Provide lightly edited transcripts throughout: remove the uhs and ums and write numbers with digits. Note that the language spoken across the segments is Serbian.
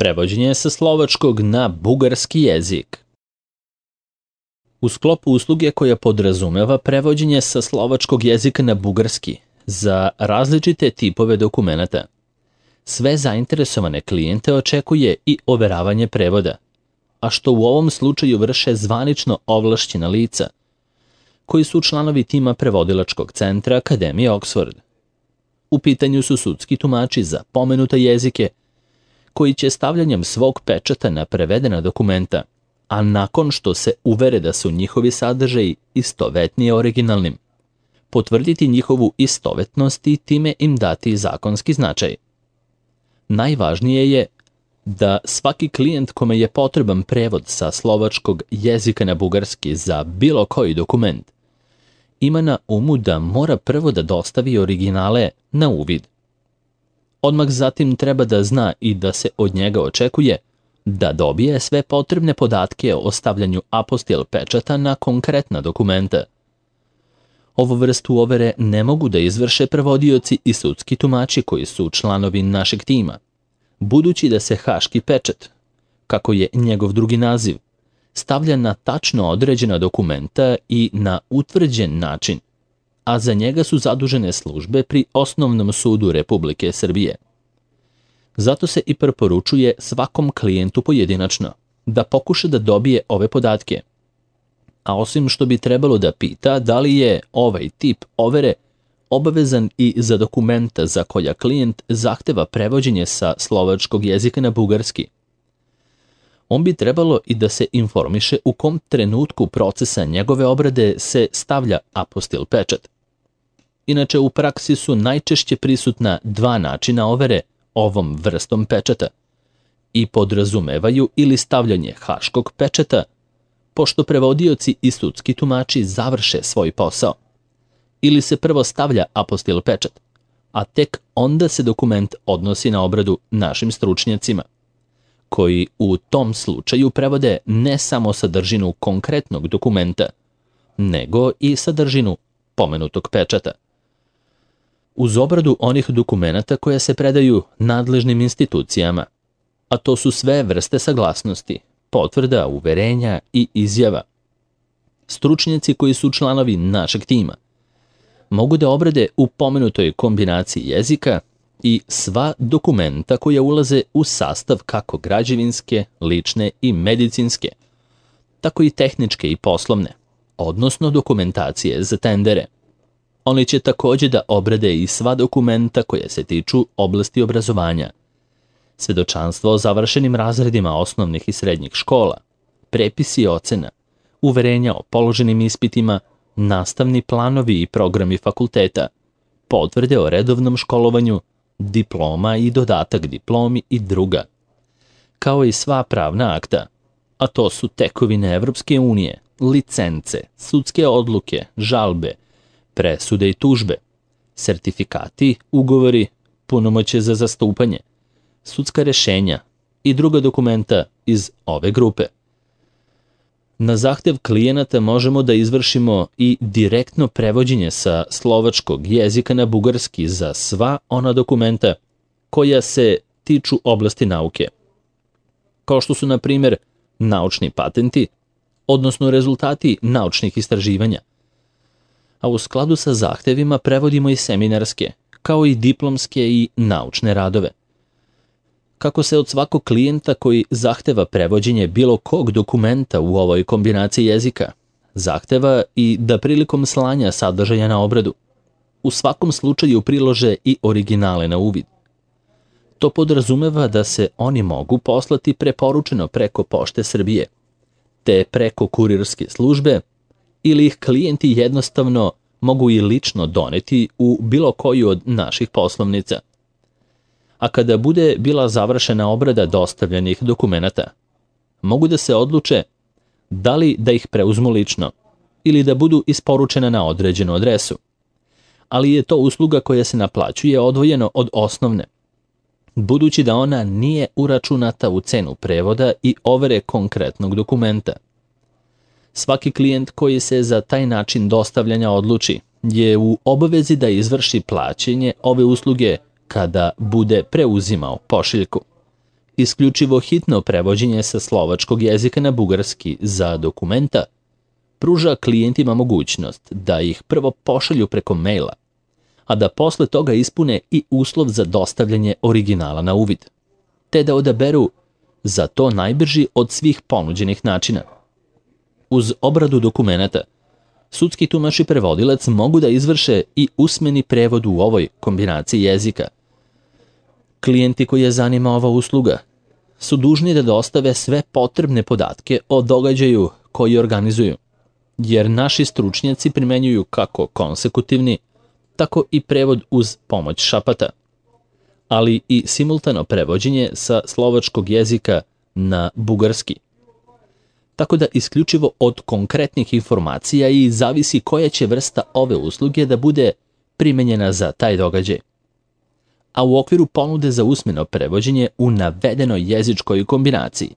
Prevođenje sa slovačkog na bugarski jezik. U sklopu usluge koja podrazumeva prevođenje sa slovačkog jezika na bugarski za različite tipove dokumenata, sve zainteresovane klijente očekuje i overavanje prevoda, a što u ovom slučaju vrše zvanično ovlašćena lica, koji su članovi tima prevodilačkog centra Akademije Oxford. U pitanju su sudski tumači za pomenute jezike, koji će stavljanjem svog pečata na prevedena dokumenta, a nakon što se uvere da su njihovi sadržaji istovetni originalnim, potvrditi njihovu istovetnost i time im dati zakonski značaj. Najvažnije je da svaki klijent kome je potreban prevod sa slovačkog jezika na bugarski za bilo koji dokument, ima na umu da mora prvo da dostavi originale na uvid. Odmah zatim treba da zna i da se od njega očekuje da dobije sve potrebne podatke o stavljanju apostil pečata na konkretna dokumenta. Ovu vrstu overe ne mogu da izvrše prevodioci i sudski tumači koji su članovi našeg tima, budući da se haški pečat, kako je njegov drugi naziv, stavlja na tačno određena dokumenta i na utvrđen način, a za njega su zadužene službe pri Osnovnom sudu Republike Srbije. Zato se i preporučuje svakom klijentu pojedinačno da pokuša da dobije ove podatke. A osim što bi trebalo da pita da li je ovaj tip overe obavezan i za dokumenta za koja klijent zahteva prevođenje sa slovačkog jezika na bugarski, on bi trebalo i da se informiše u kom trenutku procesa njegove obrade se stavlja apostil pečat. Inače, u praksi su najčešće prisutna dva načina overe ovom vrstom pečata i podrazumevaju ili stavljanje haškog pečata, pošto prevodioci i sudski tumači završe svoj posao, ili se prvo stavlja apostil pečat, a tek onda se dokument odnosi na obradu našim stručnjacima, koji u tom slučaju prevode ne samo sadržinu konkretnog dokumenta, nego i sadržinu pomenutog pečata. Uz obradu onih dokumenata koje se predaju nadležnim institucijama, a to su sve vrste saglasnosti, potvrda, uverenja i izjava, stručnjaci koji su članovi našeg tima mogu da obrade u pomenutoj kombinaciji jezika i sva dokumenta koja ulaze u sastav kako građevinske, lične i medicinske, tako i tehničke i poslovne, odnosno dokumentacije za tendere. Oni će takođe da obrade i sva dokumenta koja se tiču oblasti obrazovanja, svedočanstvo o završenim razredima osnovnih i srednjih škola, prepisi ocena, uverenja o položenim ispitima, nastavni planovi i programi fakulteta, potvrde o redovnom školovanju, diploma i dodatak diplomi i druga, kao i sva pravna akta, a to su tekovine Evropske unije, licence, sudske odluke, žalbe, presude i tužbe, sertifikati, ugovori, punomoćje za zastupanje, sudska rešenja i druga dokumenta iz ove grupe. Na zahtev klijenata možemo da izvršimo i direktno prevođenje sa slovačkog jezika na bugarski za sva ona dokumenta koja se tiču oblasti nauke, kao što su, na primjer, naučni patenti, odnosno rezultati naučnih istraživanja. A u skladu sa zahtevima prevodimo i seminarske, kao i diplomske i naučne radove. Kako se od svakog klijenta koji zahteva prevođenje bilo kog dokumenta u ovoj kombinaciji jezika, zahteva i da prilikom slanja sadržaja na obradu, u svakom slučaju prilože i originale na uvid. To podrazumeva da se oni mogu poslati preporučeno preko Pošte Srbije, te preko kurirske službe, ili ih klijenti jednostavno mogu i lično doneti u bilo koju od naših poslovnica. A kada bude bila završena obrada dostavljenih dokumenata, mogu da se odluče da li da ih preuzmu lično ili da budu isporučena na određenu adresu. Ali je to usluga koja se naplaćuje odvojeno od osnovne, budući da ona nije uračunata u cenu prevoda i overe konkretnog dokumenta. Svaki klijent koji se za taj način dostavljanja odluči je u obavezi da izvrši plaćanje ove usluge kada bude preuzimao pošiljku. Isključivo hitno prevođenje sa slovačkog jezika na bugarski za dokumenta pruža klijentima mogućnost da ih prvo pošalju preko maila, a da posle toga ispune i uslov za dostavljanje originala na uvid, te da odaberu za to najbrži od svih ponuđenih načina. Uz obradu dokumenata, sudski tumač i prevodilac mogu da izvrše i usmeni prevod u ovoj kombinaciji jezika. Klijenti koje zanima ova usluga su dužni da dostave sve potrebne podatke o događaju koji organizuju, jer naši stručnjaci primenjuju kako konsekutivni, tako i prevod uz pomoć šapata, ali i simultano prevođenje sa slovačkog jezika na bugarski. Tako da isključivo od konkretnih informacija i zavisi koja će vrsta ove usluge da bude primenjena za taj događaj. A u okviru ponude za usmeno prevođenje u navedenoj jezičkoj kombinaciji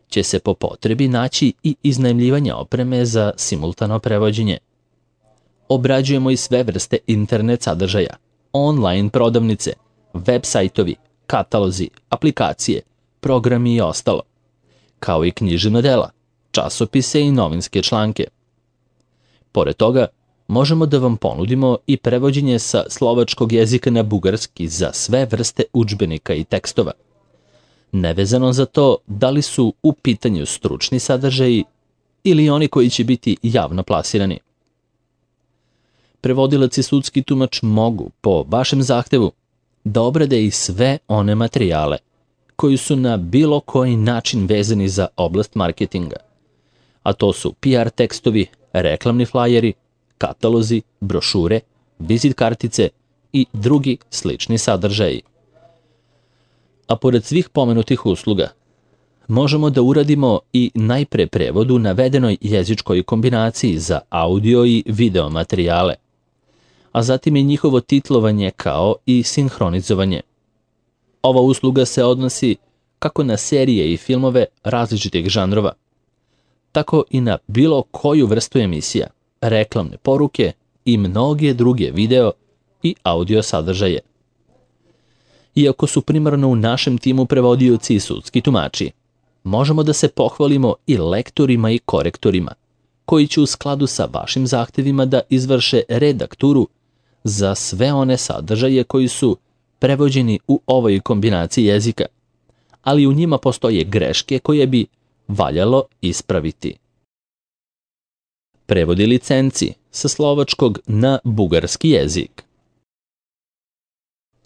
će se po potrebi naći i iznajmljivanje opreme za simultano prevođenje. Obrađujemo i sve vrste internet sadržaja, online prodavnice, web sajtovi, katalozi, aplikacije, programi i ostalo, kao i književna dela, časopise i novinske članke. Pored toga, možemo da vam ponudimo i prevođenje sa slovačkog jezika na bugarski za sve vrste udžbenika i tekstova, nevezano za to da li su u pitanju stručni sadržaji ili oni koji će biti javno plasirani. Prevodilac i sudski tumač mogu, po vašem zahtevu, da obrade i sve one materijale koji su na bilo koji način vezani za oblast marketinga, a to su PR tekstovi, reklamni flajeri, katalozi, brošure, vizit kartice i drugi slični sadržaji. A pored svih pomenutih usluga, možemo da uradimo i najpre prevod u navedenoj jezičkoj kombinaciji za audio i video materijale, a zatim i njihovo titlovanje kao i sinhronizovanje. Ova usluga se odnosi kako na serije i filmove različitih žanrova, tako i na bilo koju vrstu emisija, reklamne poruke i mnoge druge video i audio sadržaje. Iako su primarno u našem timu prevodioci i sudski tumači, možemo da se pohvalimo i lektorima i korektorima, koji će u skladu sa vašim zahtevima da izvrše redakturu za sve one sadržaje koji su prevođeni u ovoj kombinaciji jezika, ali u njima postoje greške koje bi valjalo ispraviti. Prevodi licenci sa slovačkog na bugarski jezik.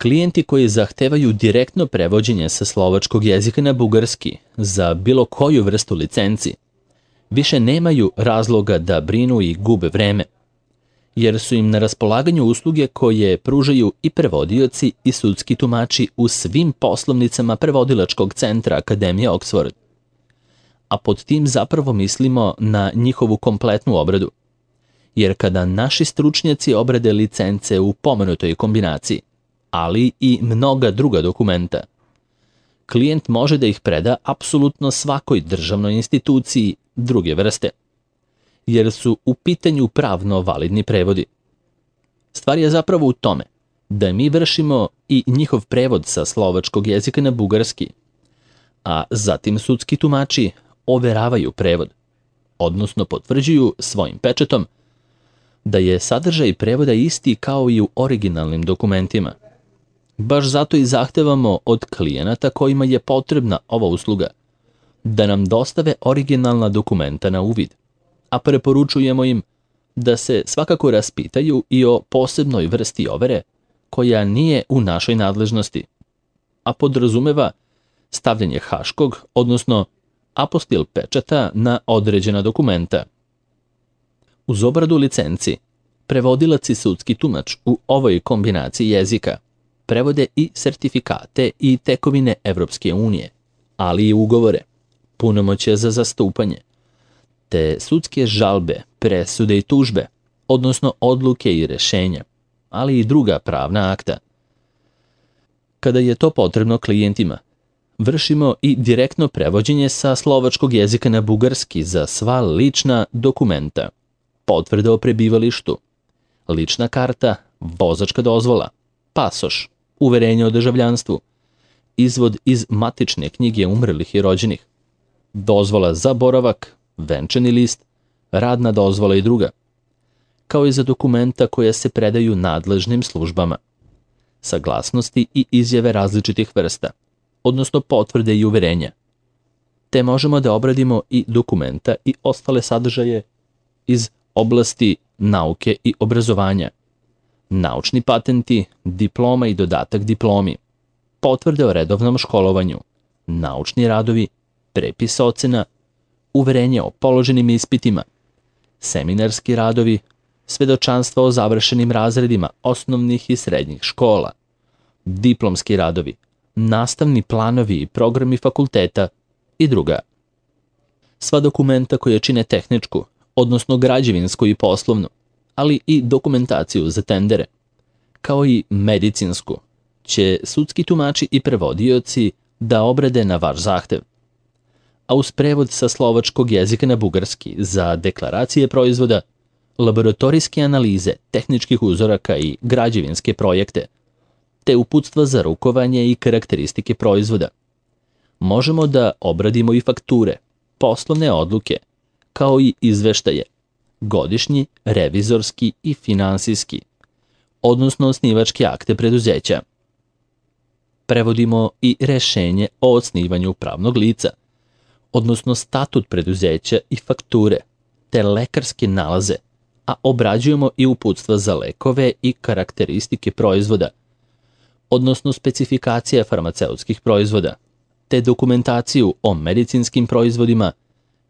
Klijenti koji zahtevaju direktno prevođenje sa slovačkog jezika na bugarski za bilo koju vrstu licenci više nemaju razloga da brinu i gube vreme, jer su im na raspolaganju usluge koje pružaju i prevodioci i sudski tumači u svim poslovnicama prevodilačkog centra Akademije Oxford. A pod tim zapravo mislimo na njihovu kompletnu obradu, jer kada naši stručnjaci obrade licence u pomenutoj kombinaciji, ali i mnoga druga dokumenta, klijent može da ih preda apsolutno svakoj državnoj instituciji druge vrste, jer su u pitanju pravno validni prevodi. Stvar je zapravo u tome da mi vršimo i njihov prevod sa slovačkog jezika na bugarski, a zatim sudski tumači overavaju prevod, odnosno potvrđuju svojim pečatom da je sadržaj prevoda isti kao i u originalnim dokumentima. Baš zato i zahtevamo od klijenata kojima je potrebna ova usluga da nam dostave originalna dokumenta na uvid, a preporučujemo im da se svakako raspitaju i o posebnoj vrsti overe koja nije u našoj nadležnosti, a podrazumeva stavljanje haškog, odnosno apostil pečata na određena dokumenta. Uz obradu licenci, prevodilac i sudski tumač u ovoj kombinaciji jezika prevode i sertifikate i tekovine Evropske unije, ali i ugovore, punomoćje za zastupanje, te sudske žalbe, presude i tužbe, odnosno odluke i rešenja, ali i druga pravna akta. Kada je to potrebno klijentima, vršimo i direktno prevođenje sa slovačkog jezika na bugarski za sva lična dokumenta, potvrde o prebivalištu, lična karta, vozačka dozvola, pasoš, uverenje o državljanstvu, izvod iz matične knjige umrlih i rođenih, dozvola za boravak, venčani list, radna dozvola i druga, kao i za dokumenta koja se predaju nadležnim službama, saglasnosti i izjave različitih vrsta, odnosno potvrde i uverenja, te možemo da obradimo i dokumenta i ostale sadržaje iz oblasti nauke i obrazovanja, naučni patenti, diploma i dodatak diplomi, potvrde o redovnom školovanju, naučni radovi, prepis ocena, uverenje o položenim ispitima, seminarski radovi, svedočanstva o završenim razredima osnovnih i srednjih škola, diplomski radovi, nastavni planovi i programi fakulteta i druga. Sva dokumenta koja čine tehničku, odnosno građevinsku i poslovnu, ali i dokumentaciju za tendere, kao i medicinsku, će sudski tumači i prevodioci da obrade na vaš zahtev. A uz prevod sa slovačkog jezika na bugarski za deklaracije proizvoda, laboratorijske analize, tehničkih uzoraka i građevinske projekte, te uputstva za rukovanje i karakteristike proizvoda. Možemo da obradimo i fakture, poslovne odluke, kao i izveštaje, godišnji, revizorski i finansijski, odnosno osnivačke akte preduzeća. Prevodimo i rešenje o osnivanju pravnog lica, odnosno statut preduzeća i fakture, te lekarske nalaze, a obrađujemo i uputstva za lekove i karakteristike proizvoda, odnosno specifikacija farmaceutskih proizvoda, te dokumentaciju o medicinskim proizvodima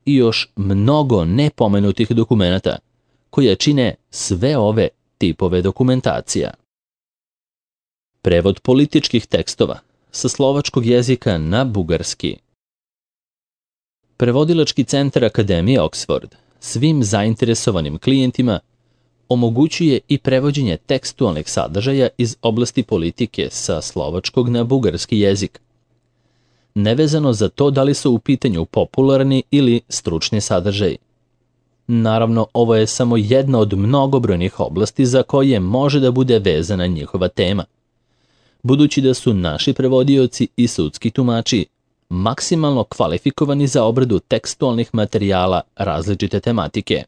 i još mnogo nepomenutih dokumenata koje čine sve ove tipove dokumentacija. Prevod političkih tekstova sa slovačkog jezika na bugarski. Prevodilački centar Akademije Oxford svim zainteresovanim klijentima omogućuje i prevođenje tekstualnih sadržaja iz oblasti politike sa slovačkog na bugarski jezik, nevezano za to da li su u pitanju popularni ili stručni sadržaji. Naravno, ovo je samo jedna od mnogobrojnih oblasti za koje može da bude vezana njihova tema, budući da su naši prevodioci i sudski tumači maksimalno kvalifikovani za obradu tekstualnih materijala različite tematike.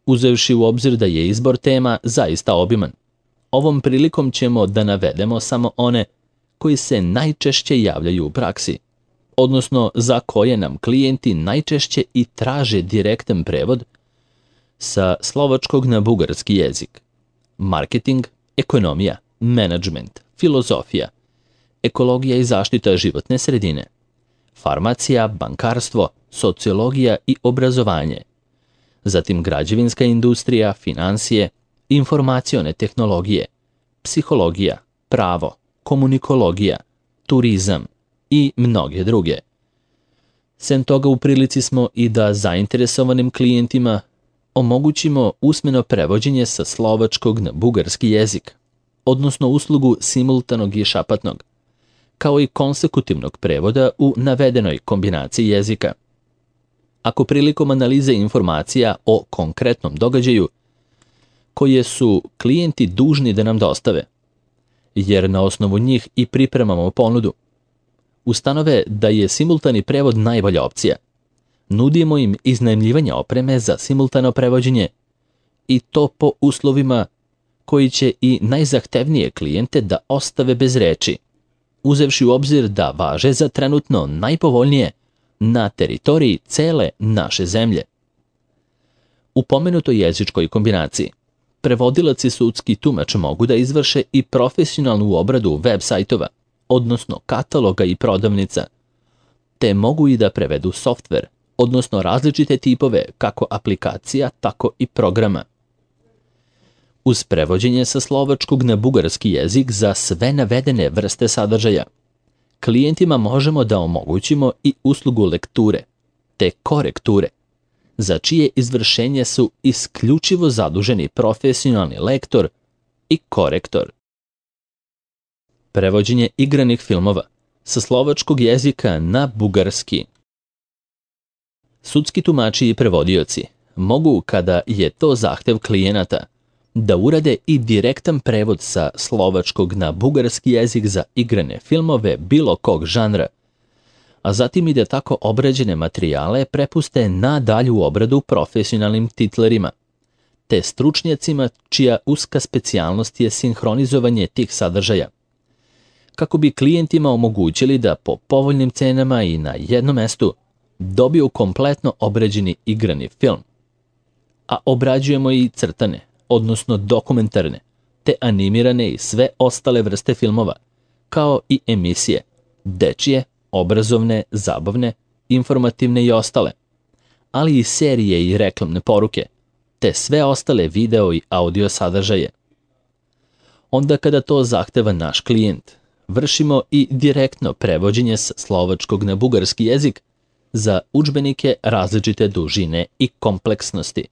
Uzevši u obzir da je izbor tema zaista obiman, ovom prilikom ćemo da navedemo samo one koji se najčešće javljaju u praksi, odnosno za koje nam klijenti najčešće i traže direktan prevod sa slovačkog na bugarski jezik. Marketing, ekonomija, menadžment, filozofija, ekologija i zaštita životne sredine, farmacija, bankarstvo, sociologija i obrazovanje, zatim građevinska industrija, finansije, informacione tehnologije, psihologija, pravo, komunikologija, turizam i mnoge druge. Sem toga u prilici smo i da zainteresovanim klijentima omogućimo usmeno prevođenje sa slovačkog na bugarski jezik, odnosno uslugu simultanog i šapatnog, kao i konsekutivnog prevoda u navedenoj kombinaciji jezika. Ako prilikom analize informacija o konkretnom događaju, koje su klijenti dužni da nam dostave, jer na osnovu njih i pripremamo ponudu, ustanove da je simultani prevod najbolja opcija, nudimo im iznajmljivanje opreme za simultano prevođenje i to po uslovima koji će i najzahtevnije klijente da ostave bez reči, uzevši u obzir da važe za trenutno najpovoljnije na teritoriji cele naše zemlje. U pomenutoj jezičkoj kombinaciji, prevodilac i sudski tumač mogu da izvrše i profesionalnu obradu web sajtova, odnosno kataloga i prodavnica, te mogu i da prevedu softver, odnosno različite tipove kako aplikacija, tako i programa. Uz prevođenje sa slovačkog na bugarski jezik za sve navedene vrste sadržaja, klijentima možemo da omogućimo i uslugu lekture, te korekture, za čije izvršenje su isključivo zaduženi profesionalni lektor i korektor. Prevođenje igranih filmova sa slovačkog jezika na bugarski. Sudski tumači i prevodioci mogu, kada je to zahtev klijenata, da urade i direktan prevod sa slovačkog na bugarski jezik za igrane filmove bilo kog žanra, a zatim i da tako obrađene materijale prepuste na dalju obradu profesionalnim titlerima, te stručnjacima čija uska specijalnost je sinhronizovanje tih sadržaja, kako bi klijentima omogućili da po povoljnim cenama i na jednom mestu dobiju kompletno obrađeni igrani film. A obrađujemo i crtane, odnosno dokumentarne, te animirane i sve ostale vrste filmova, kao i emisije, dečije, obrazovne, zabavne, informativne i ostale, ali i serije i reklamne poruke, te sve ostale video i audio sadržaje. Onda kada to zahteva naš klijent, vršimo i direktno prevođenje sa slovačkog na bugarski jezik za udžbenike različite dužine i kompleksnosti,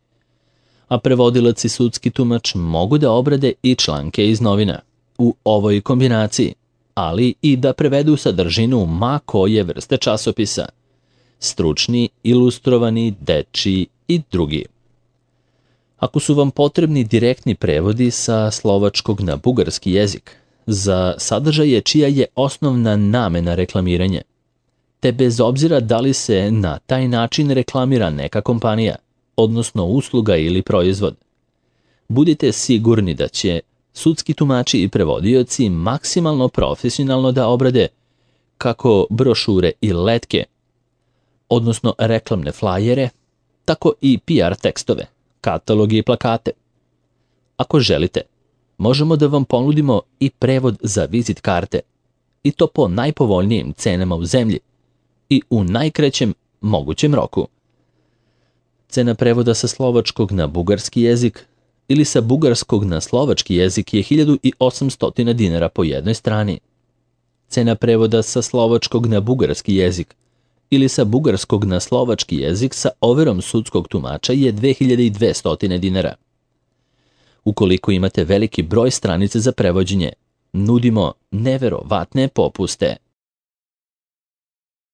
a prevodilac i sudski tumač mogu da obrade i članke iz novina u ovoj kombinaciji, ali i da prevedu sadržinu ma koje vrste časopisa, stručni, ilustrovani, dečiji i drugi. Ako su vam potrebni direktni prevodi sa slovačkog na bugarski jezik za sadržaje čija je osnovna namena reklamiranje, te bez obzira da li se na taj način reklamira neka kompanija, odnosno usluga ili proizvod, budite sigurni da će sudski tumači i prevodioci maksimalno profesionalno da obrade kako brošure i letke, odnosno reklamne flajere, tako i PR tekstove, kataloge i plakate. Ako želite, možemo da vam ponudimo i prevod za vizit karte, i to po najpovoljnijim cenama u zemlji i u najkraćem mogućem roku. Cena prevoda sa slovačkog na bugarski jezik ili sa bugarskog na slovački jezik je 1800 dinara po jednoj strani. Cena prevoda sa slovačkog na bugarski jezik ili sa bugarskog na slovački jezik sa overom sudskog tumača je 2200 dinara. Ukoliko imate veliki broj stranica za prevođenje, nudimo neverovatne popuste.